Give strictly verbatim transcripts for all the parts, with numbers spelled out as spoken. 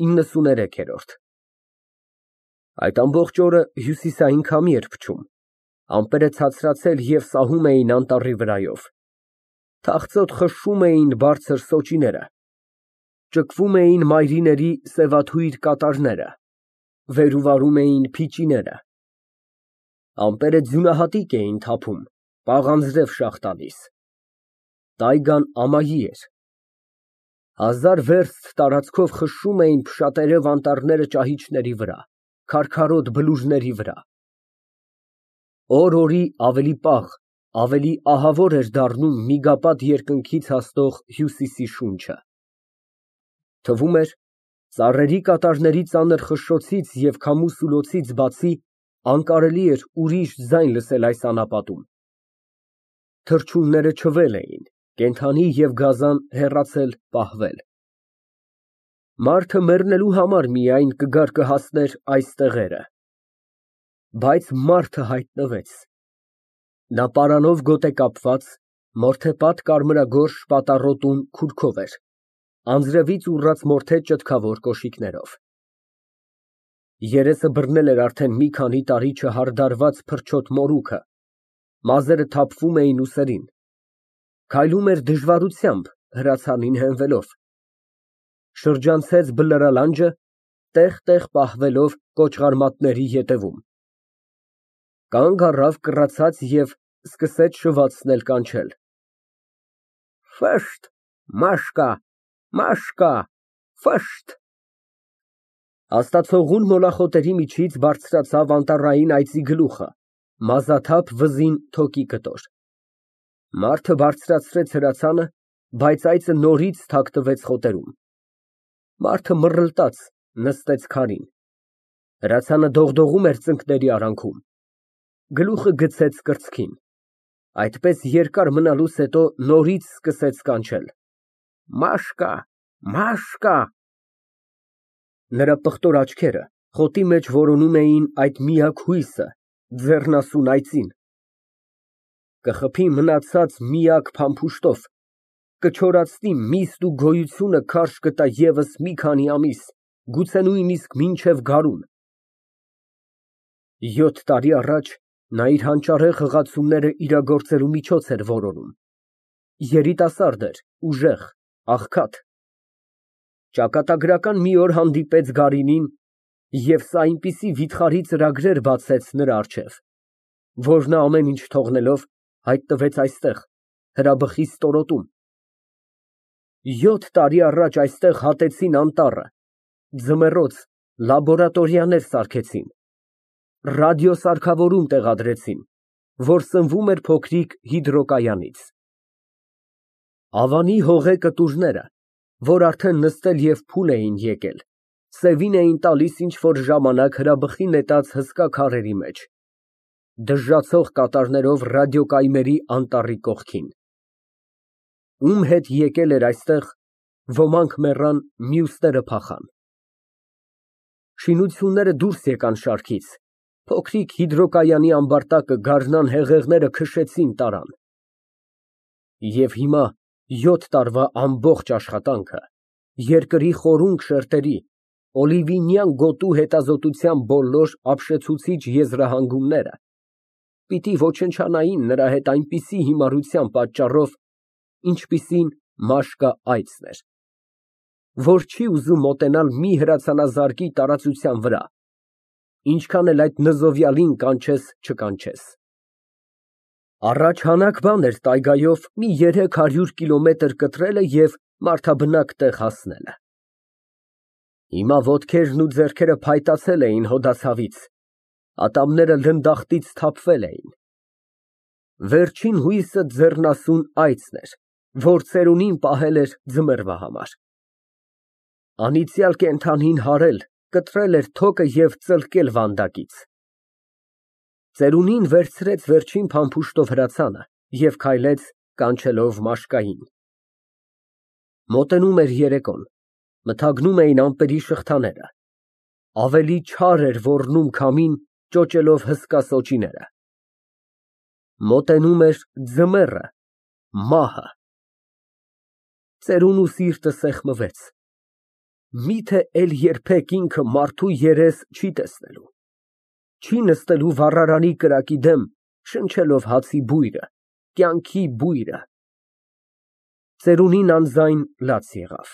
իննսուներեք։ Այդ ամբողջ օրը հյուսիսային քամի էր փչում, ամպերը ցածրացել և սահում էին անտառի վրայով, թախծոտ խշշում էին բարձր սոճիները, ճկվում էին մայրիների սևաթույր կատարները, վեր ու վարում էին փիճիները, ամպերը ձյունահատիկ էին թափում, պաղանձրև շաղ տալիս, տայգան ամայի էր, հազար վերստ տարածքով խշշում էին փշատերև անտառները ճահիճների վրա, քարքարոտ բլուրների վրա, օր֊օրի ավելի պաղ, ավելի ահավոր էր դառնում միգապատ երկնքից հասնող հյուսիսի շունչը, թվում էր, ծառերի կատարների ծանր խշշոցից և քամու սուլոցից բացի անկարելի էր ուրիշ ձայն լսել այս անապատում, թռչունները չվել էին, կենդանի և գազան հեռացել, պահվել, մարդը մեռնելու համար միայն կգար կհասներ այս տեղերը, բայց մարդը հայտնվեց, նա պարանով գոտ է կապված, մորթե պատ կարմրագորշ պատառոտուն քուրքով էր, անձրևից ուռած մորթե ճտկավոր կոշիկներով, երեսը բռնել էր արդեն մի քանի տարի չհարդարված փրչոտ մորուքը, մազերը թափվում էին ուսերին, քայլում էր դժվարությամբ հրացանին հենվելով, շրջանցեց բլրալանջը, տեղ֊տեղ պահվելով կոճղարմատների ետևում, կանգ առավ կռացած և սկսեց շվացնել կանչել. «Ֆշտ, Մաշկա, Մաշկա, ֆշտ»։ Աստացողուն մոլախոտերի միջից բարձրացավ անտառային այծի գլուխը, մազաթափ վզին թոկի կտոր, մարդը բարձրացրեց հրացանը, բայց այծը նորից թաքցվեց խոտերում, մարդը մռլտաց, նստեց քարին, հրացանը դողդողում էր ծնկների արանքում, գլուխը գցեց կրծքին, այդպես երկար մնալուց հետո նորից սկսեց կանչել. «Մաշկա, Մաշկա»։ Նրա պղտոր աչքերը խոտի մեջ որոնում էին այդ միակ հույսը, ձեռնասուն այծին, կխփի մնացած միակ փամփուշտով, կչորացնի միստ ու գոյությունը քարշ կտա ևս մի քանի ամիս, գուցե նույնիսկ մինչև գարուն։ Յոթ տարի առաջ նա իր հանճարեղ խղացումները իրագործելու միջոց էր որոնում, երիտասարդ էր, ուժեղ, աղքատ, ճակատագրական մի օր հանդիպեց գարինին և սա այնպիսի վիթխարի ծրագրեր բացեց նրա առջև, որ նա ամեն ինչ թողնելով, հայտնվեց այստեղ, հրաբխի ստորոտում, յոթ տարի առաջ այստեղ հատեցին անտառը, ձմեռոց, լաբորատորիաներ սարքեցին, ռադիոսարգավորում տեղադրեցին, որ սնվում էր փոքրիկ հիդրոկայանից, ավանի հողե կտուրները, որ արդեն նստել և փուլ էին եկել, սևին էին տալիս ինչ֊որ ժամանակ հրաբխի նետած հսկա քարերի մեջ, դժժացող կատարներով ռադիոկայմերի անտառի կողքին, ում հետ եկել էր այստեղ, ոմանք մեռան, մյուսները փախան, շինությունները դուրս եկան շարքից, փոքրիկ հիդրոկայանի ամբարտակը գարնան հեղեղները քշեցին տարան, և հիմա յոթ տարվա ամբողջ աշխատանքը, երկրի խորունկ շերտերի, օլիվինյան գոտու հետազոտության բոլոր ապշեցուցիչ եզրահանգումները պիտի ոչնչանային նրա հետ այնպիսի հիմարության պատճառով, ինչպիսին մաշկա այծն էր, որ չի ուզում մոտենալ մի հրացանազարգի տարածության վրա, ինչքան էլ այդ նզովյալին կանչես չկանչես, առաջ հանակ բան էր տայգայով մի երեք հարյուր կիլոմետր կտրելը և մարդաբնակ տեղ հասնելը, հիմա ոտքերն ու ձեռքերը փայտացել էին հոդացավից, ատամները լնդախտից թափվել էին, վերջին հույսը ձեռնասուն այծն էր, որ ծերունին պահել էր ձմեռվա համար, անիծյալ կենդանին հարել, կտրել էր թոկը և ծլկել վանդակից, ծերունին վերցրեց վերջին փամփուշտով հրացանը և քայլեց կանչելով Մաշկային, մոտենում էր երեկոն, մթագնում էին ամպերի շղթաները, ավելի չար էր ոռնում քամին, ճոճելով հսկա սոճիները, մոտենում էր ձմեռը, մահը, ծերունու սիրտը սեղմվեց, Միթե էլ երբեք ինքը մարդու երես չի տեսնելու, չի նստելու վառարանի կրակի դեմ, շնչելով հացի բույրը, կյանքի բույրը։ Ծերունին անձայն լաց եղավ,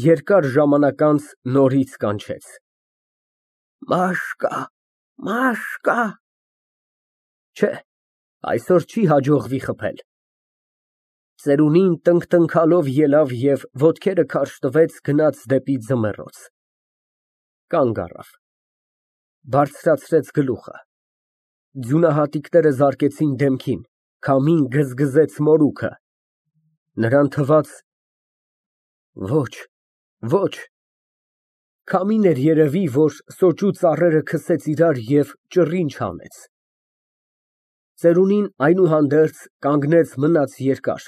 երկար ժամանակ անց նորից կանչեց. Մաշկա, Մաշկա։ Չէ, այսօր չի հաջողվի խփել։ Ծերունին տնկտնքալով ելավ և ոտքերը քարշ տվեց, գնաց դեպի ձմեռոց։ Կանգ առավ, բարձրացրեց գլուխը, ձյունահատիկները զարկեցին դեմքին, քամին գզգզեց մորուքը, նրան թվաց. ոչ, ոչ, քամին էր երևի, որ սոճու ծառերը քսեց իրար և ճռինչ հանեց։ Ծերունին այնուհանդերձ կանգնեց, մնաց երկար,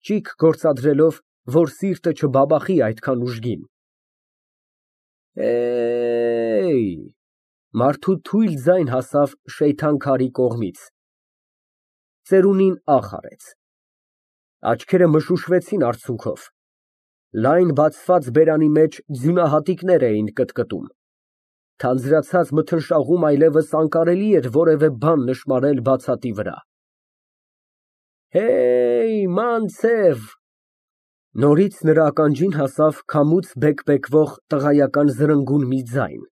ճիգ գործադրելով, որ սիրտը չբաբախի այդքան ուժգին։ Էյ, մարդու թույլ ձայն հասավ Շեյթան քարի կողմից։ Ծերունին ախ արեց, աչքերը մշուշվեցին արցունքով, լայն բացված բերանի մեջ ձյունահատիկներ էին կտկտում, թանձրացած մթնշաղում այլևս անկարելի էր որևէ բան նշմարել բացատի վրա։ Հեյ, մանցև։ Նորից նրա ականջին հասավ քամուց բեկբեկվող տղայական զրնգուն մի ձայն։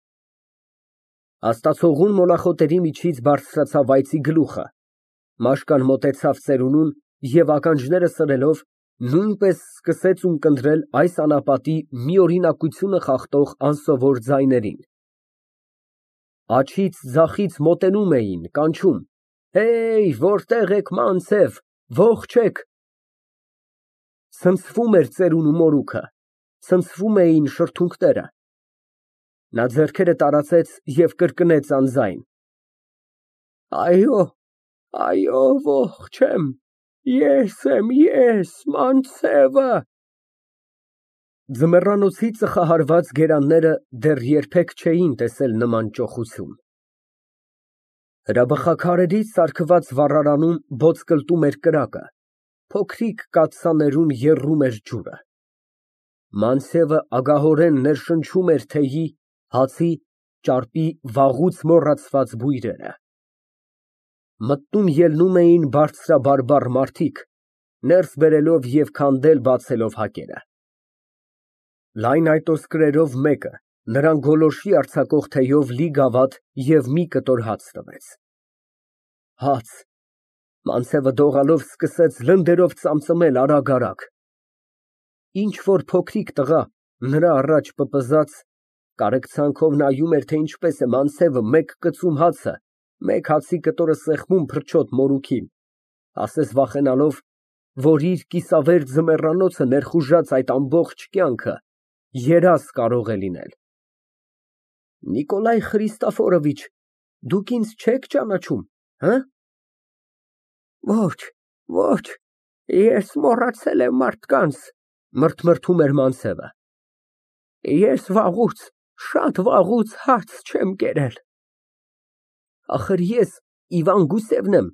Աստացողուն մոնախոտերի միջից բարձրացավ այծի գլուխը, Մաշկան մոտեցավ ծերունուն և ականջները սրելով, նույնպես սկսեց ունկնդրել այս անապատի միօրինակությունը խախտող անսովոր ձայներին։ Աջից ձախից մոտենում էին, կանչում. Հեյ, որտե՞ղ եք, մանցև, ողջ ե՞ք։ Ցնցվում էր ծերունու մորուքը, ցնցվում էին շրթունքները։ Նա ձեռքերը տարածեց և կրկնեց անձայն. Այո, այո, ողջ եմ, ես եմ, ես, մանցևը։ Ձմեռանոցի ծխահարված գերանները դեռ երբեք չէին տեսել նման ճոխություն։ Հրաբխաքարերից ծալքված վառարանում բոծկլտում էր կրակը, փոքրիկ կաթսաներում եռում էր ջուրը։ Մանցևը ագահորեն ներշնչում էր թեյի, հացի, ճարպի վաղուց մոռացված բույրերը։ Մտնում էին բարձրաբարբառ մարդիկ, ներս բերելով և քանդել֊բացելով հակերը։ Լայն այտոսկրերով մեկը նրան գոլորշի արձակող թեյով լի գավաթ և մի կտոր հաց տվեց։ Հաց։ Մանցևը դողալով սկսեց լնդերով ծամծմել արագ֊արագ։ Ինչ֊որ փոքրիկ տղա, նրա առաջ պպզած, կարեկցանքով նայում էր, թե ինչպես է Մանցևը մեկ կծում հացը, մեկ հացի կտորը սեղմում փրչոտ մորուքին, ասես վախենալով, որ իր կիսավեր ձմեռանոցը ներխուժած այդ ամբողջ կյանքը երազ կարող է լինել։ Նիկոլայ Խրիստոֆորովիչ, դուք ինձ չե՞ք ճանաչում, հը։ Ոչ, ոչ, ես մոռացել եմ մարդկանց, մրթմրթում էր Մանցևը։ Ես վաղուց, շատ վաղուց հաց չեմ կերել։ Ախր ես Իվան Գուսևն եմ,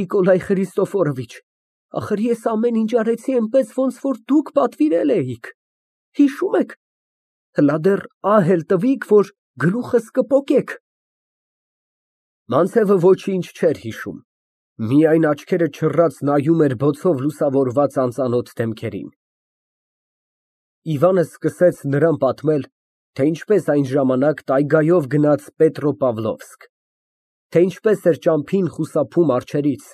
Նիկոլայ Խրիստոֆորովիչ, ախր ես ամեն ինչ արեցի այնպես, ոնց որ դուք պատվիրել էիք, հիշո՞ւմ եք, հլա դեռ ահ էլ տվիք, որ գլուխս կպոկեք։ Մանցևը ոչինչ չէր հիշում, միայն աչքերը չռած նայում էր բոցով լուսավորված անծանոթ դեմքերին։ Իվանը սկսեց նրան պատմել, թե ինչպես այն ժամանակ տայգայով գնաց Պետրոպավլովսկ, թե ինչպես էր ճամփին խուսափում արջերից,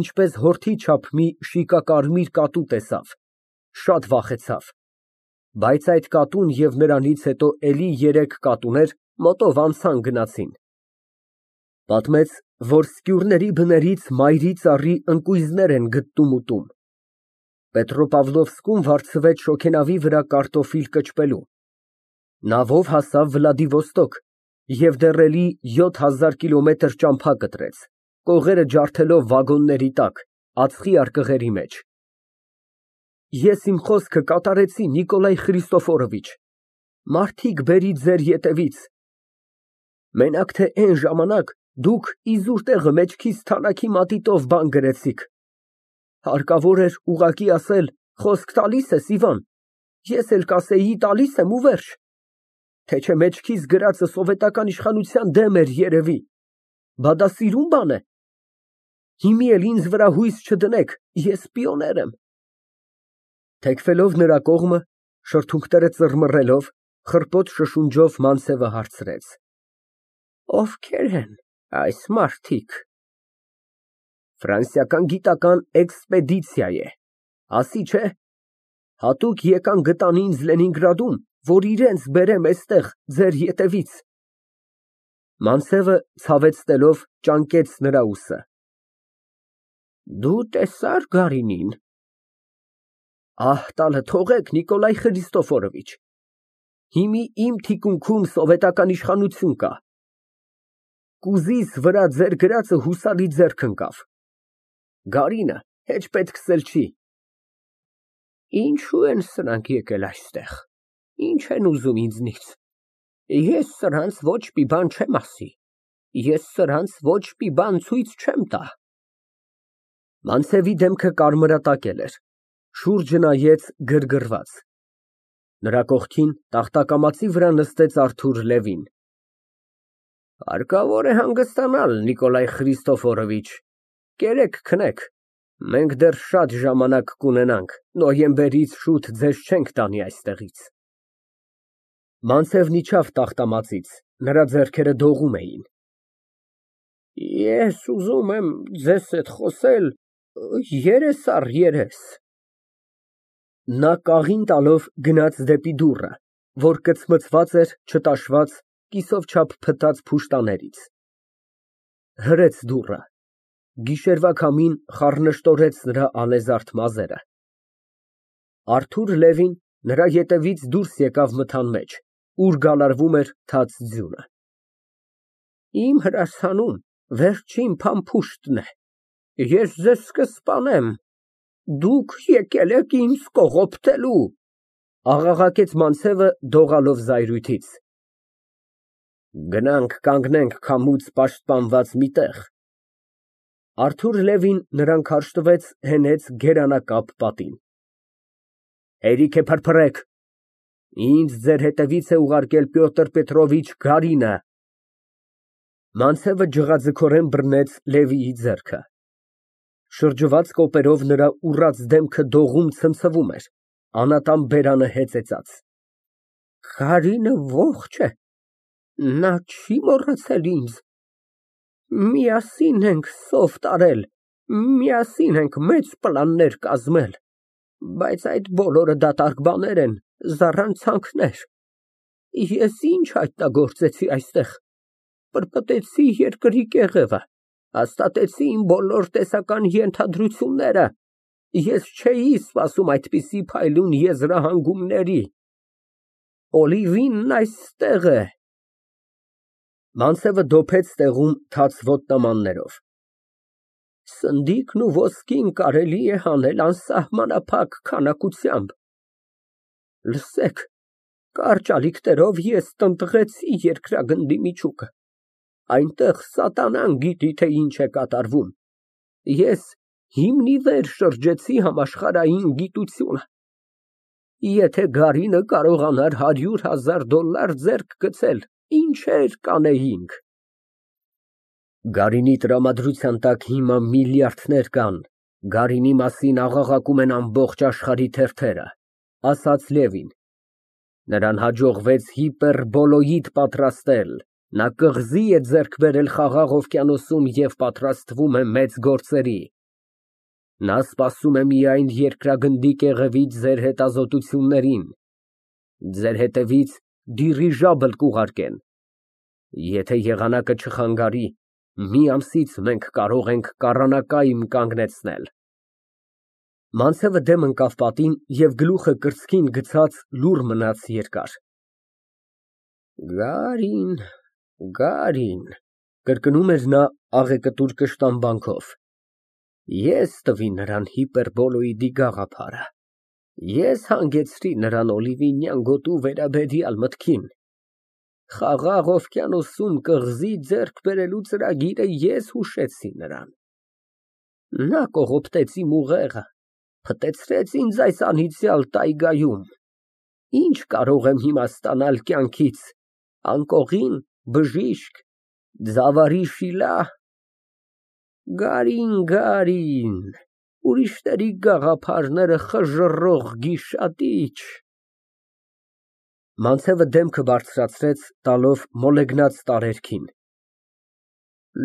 ինչպես հորթի չափ մի շիկակարմիր կատու տեսավ, շատ վախեցավ, բայց այդ կատուն և նրանից հետո էլի երեք կատուներ մոտով անցան գնացին։ Պատմեց, որ սկյուրների բներից մայրի ծառի ընկույզներ են գտնում֊ուտում։ Պետրոպավլովսկում վարձվեց շոգենավի վրա կարտոֆիլ կճպելու, նավով հասավ Վլադիվոստոկ և դեռ էլի յոթ հազար կիլոմետր ճամփա կտրեց, կողերը ջարդելով վագոնների տակ, ածխի արկղերի մեջ։ Ես իմ խոսքը կատարեցի, Նիկոլայ Խրիստոֆորովիչ, մարդիկ բերի ձեր ետևից։ Մենակ թե էն ժամանակ դուք իզուր տեղը մեջքիս թանաքի մատիտով բան գրեցիք։ Հարկավոր էր ուղղակի ասել. խոսք տալի՞ս ես, Իվան, ես էլ կասեի տալիս եմ ու վերջ, թե չէ մեջքիս գրածը սովետական իշխանության դեմ էր երևի, բա դա սիրուն բան է։ Հիմի էլ ինձ վրա հույս չդնեք, ես պիոներ եմ։ Թեքվելով նրա կողմը, շրթունքները ծռմռելով, խռպոտ շշունջով Մանցևը հարցրեց. Ովքեր են այս մարդիկ։ Ֆրանսիական գիտական էքսպեդիցիա է, ասի չէ, հատուկ եկան գտան ինձ Լենինգրադում, որ իրենց բերեմ էստեղ ձեր ետևից։ Մանցևը ցավեցնելով ճանկեց նրա ուսը։ Դու տեսա՞ր Գարինին։ Ահ, տալը թողեք, Նիկոլայ Խրիստոֆորովիչ, հիմի իմ թիկունքում սովետական իշխանություն կա։ Կուզիս վրա ձեր գրածը հուսալի ձեռք ընկավ։ Գարինը հեչ պետքսել չի։ Ինչու են սրանք եկել այստեղ, ինչ են ուզում ինձնից։ Ես սրանց ոչ մի բան չեմ ասի, ես սրանց ոչ մի բան ցույց չեմ տա։ Մանցևի դեմքը կարմրատակել էր, շուրջը նայեց գրգռված։ Նրա կողքին տախտակամածի վրա նստեց Արթուր Լևին։ Հարկավոր է հանգստանալ, Նիկոլայ Խրիստոֆորովիչ, կերեք քնեք, մենք դեռ շատ ժամանակ կունենանք, նոյեմբերից շուտ ձեզ չենք տանի այստեղից։ Մանցևն իջավ տախտամածից, նրա ձեռքերը դողում էին։ Ես ուզում եմ ձեզ հետ խոսել երես առ երես։ Նա կաղին տալով գնաց դեպի դուռը, որ կծմծված էր չտաշված, կիսով չափ փտած փուշտաներից։ Հրեց դուռը, գիշերվա քամին խառնշտորեց նրա ալեզարդ մազերը։ Արթուր Լևին նրա ետևից դուրս եկավ մթան մեջ, ուր գալարվում էր թաց ձյունը։ Իմ հրացանում վերջին փամփուշտն է, ես ձեզ կսպանեմ, դուք եկել եք ինձ կողոպտելու, աղաղակեց Մանցևը դողալով զայրույթից։ Գնանք կանգնենք քամուց պաշտպանված մի տեղ։ Արթուր Լևին նրան քարշ տվեց, հենեց գերանակապ պատին։ Հերիք է փրփրեք, ինձ ձեր հետևից է ուղարկել Պյոտր Պետրովիչ Գարինը։ Մանցևը ջղաձգորեն բռնեց Լևիի ձեռքը։ Շրջված կոպերով նրա ուռած դեմքը դողում ցնցվում էր, անատամ բերանը հեծեծած։ Գարինը ողջ է, նա չի մոռացել ինձ։ Միասին ենք սով տարել, միասին ենք մեծ պլաններ կազմել, բայց այդ բոլորը դատարկ բաներ են, զառանցանքներ։ Ես ինչ հայտնագործեցի այստեղ, պրպտեցի երկրի կեղևը, հաստատեցի իմ բոլոր տեսական ենթադրությունները, ես չէի սպասում այդպիսի փայլուն եզրահանգումների։ Օլիվինն այստեղ է։ Մանցևը դոփեց տեղում թաց ոտնամաններով։ Սնդիկն ու ոսկին կարելի է հանել անսահմանափակ քանակությամբ։ Լսեք, կարճ ալիքներով ես տնտղեցի երկրագնդի միջուկը, այնտեղ սատանան գիտի, թե ինչ է կատարվում։ Ես հիմնիվեր շրջեցի համաշխարհային գիտությունը։ Եթե Գարինը կարողանար հարյուր հազար դոլար ձեռք գցել, ինչեր կանեինք։ Գարինի տրամադրության տակ հիմա միլիարդներ կան, Գարինի մասին աղաղակում են ամբողջ աշխարհի թերթերը, ասաց Լևին։ Նրան հաջողվեց հիպերբոլոիդ պատրաստել, նա կղզի է ձեռք բերել Խաղաղ օվկիանոսում և պատրաստվում է մեծ գործերի։ Նա սպասում է միայն երկրագնդի կեղևից ձեր հետազոտություններին, ձեր հետևից դիրիժաբլ կուղարկեն։ Եթե եղանակը չխանգարի, մի ամսից մենք կարող ենք կառանակայմ կանգնեցնել։ Մանցևը դեմ ընկավ պատին և գլուխը կրծքին գցած լուռ մնաց երկար։ Գարին, Գարին, կրկնում էր նա աղեկտուր կշտամբանքով։ Ես տվի նրան հիպերբոլոիդի գաղափարը, ես հանգեցրի նրան օլիվինյան գոտու վերաբերյալ մտքին։ Խաղաղ օվկիանոսում կղզի ձեռք բերելու ծրագիրը ես հուշեցի նրան։ Նա կողոպտեց իմ ուղեղը, փտեցրեց ինձ այս անիծյալ տայգայում։ Ինչ կարող եմ հիմա ստանալ կյանքից, անկողին, բժիշկ, ձավարի շիլա… Գարին, գարին, ուրիշների գաղափարները խժռող գիշատիչ… (Մանցևը դեմքը բարձրացրեց, տալով մոլեգնած տարերքին)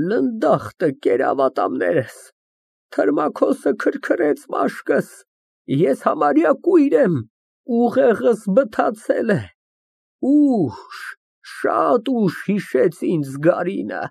Լնդախտը կերավ ատամներս, թրմաքոսը քրքրեց մաշկս, ես համարյա կույր եմ, ուղեղս բթացել է, ուշ, շատ ուշ հիշեց ինձ Գարինը։